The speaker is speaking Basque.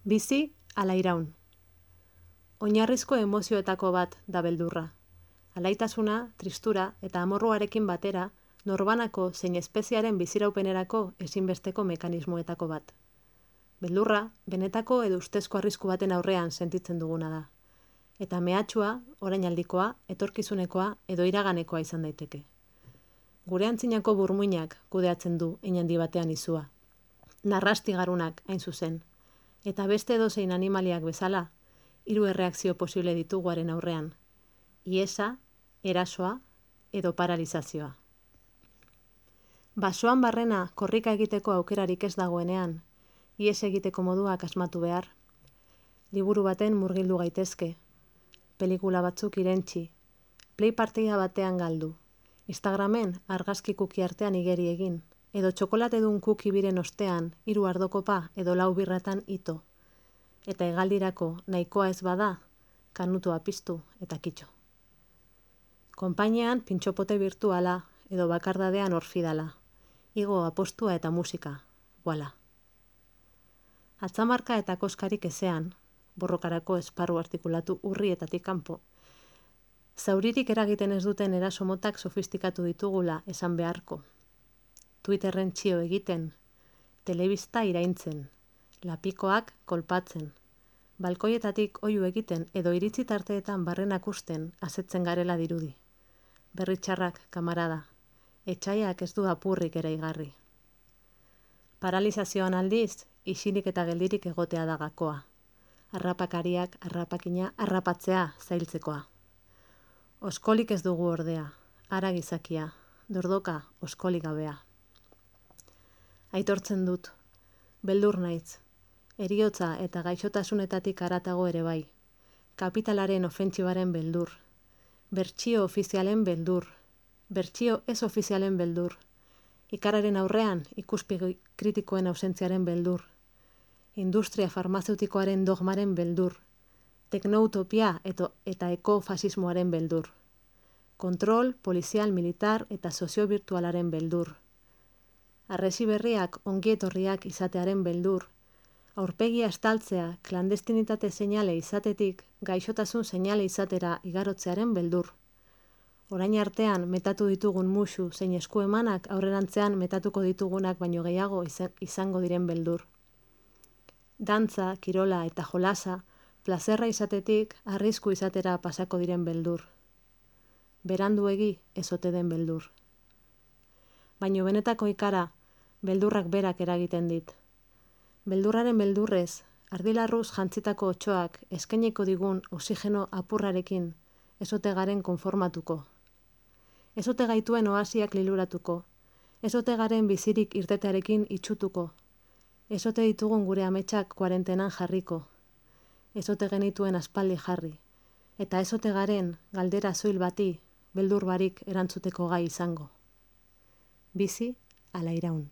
Bizi ala iraun. Oinarrizko emozioetako bat da beldurra. Alaitasuna, tristura eta amorruarekin batera, norbanako zein espeziaren biziraupenerako ezinbesteko mekanismoetako bat. Beldurra, benetako edo ustezko arrisku baten aurrean sentitzen duguna da. Eta mehatxua, orainaldikoa, etorkizunekoa edo iraganekoa izan daiteke. Gure antzinako burmuinak kudeatzen du hein handi batean izua. Narrastigarunak hain zuzen. Eta beste edozein animaliak bezala, 3 erreakzio posible ditugu haren aurrean. Iesa, erasoa edo paralizazioa. Basoan barrena korrika egiteko aukerarik ez dagoenean, ihes egiteko moduak asmatu behar. Liburu baten murgildu gaitezke. Pelikula batzuk irentsi. Play partida batean galdu. Instagramen argazki kuki artean igeri egin. Edo txokolatedun kuki biren ostean 3 ardokopa edo 4 birratan ito. Eta hegaldirako nahikoa ez bada, kanutua piztu eta kitxo. Konpainian pintxopote virtuala edo bakardadean orfidala. Igo apostua eta musika, voila. Atzamarka eta koskarik ezean, borrokarako esparru artikulatu urrietatik kanpo. Zauririk eragiten ez duten eraso motak sofistikatu ditugula esan beharko. Twitterren txio egiten, telebista iraintzen, lapikoak kolpatzen, balkoietatik oihu egiten edo iritzi tarteetan barrenak usten asetzen garela dirudi. Berritxarrak, kamarada, etxaiak ez du apurrik ere igarri. Paralizazioan aldiz, isilik eta geldirik egotea da gakoa. Harrapakariak, harrapakina, harrapatzea zailtzekoa. Oskolik ez dugu ordea, hara gizakia, dordoka oskolik gabea. Aitortzen dut, beldur naiz, heriotza eta gaixotasunetatik haratago ere bai, kapitalaren ofentsibaren beldur, bertsio ofizialen beldur, bertsio ez ofizialen beldur, ikararen aurrean ikuspegi kritikoen ausentziaren beldur, industria farmazeutikoaren dogmaren beldur, teknoutopia eta ekofasismoaren beldur, kontrol, polizial, militar eta sozio-virtualaren beldur, arresi berriak ongietorriak izatearen beldur, aurpegia estaltzea klandestinitate seinale izatetik gaixotasun seinale izatera igarotzearen beldur. Orain artean metatu ditugun musu zein eskuemanak aurrerantzean metatuko ditugunak baino gehiago izango diren beldur. Dantza, kirola eta jolasa plazerra izatetik arrisku izatera pasako diren beldur. Beranduegi ez ote den beldur. Baino benetako ikara, beldurrak berak eragiten dit. Beldurraren beldurrez, ardilarruz jantzitako otsoak eskainiko digun oxigeno apurrarekin ezote garen konformatuko. Ezote gaituen oasiak liluratuko, ezote garen bizirik irtetearekin itxutuko, ezote ditugun gure ametsak kuarentenan jarriko, ezote genituen aspaldi jarri, eta ezote garen galdera zoil bati beldur barik erantzuteko gai izango. Bizi ala iraun.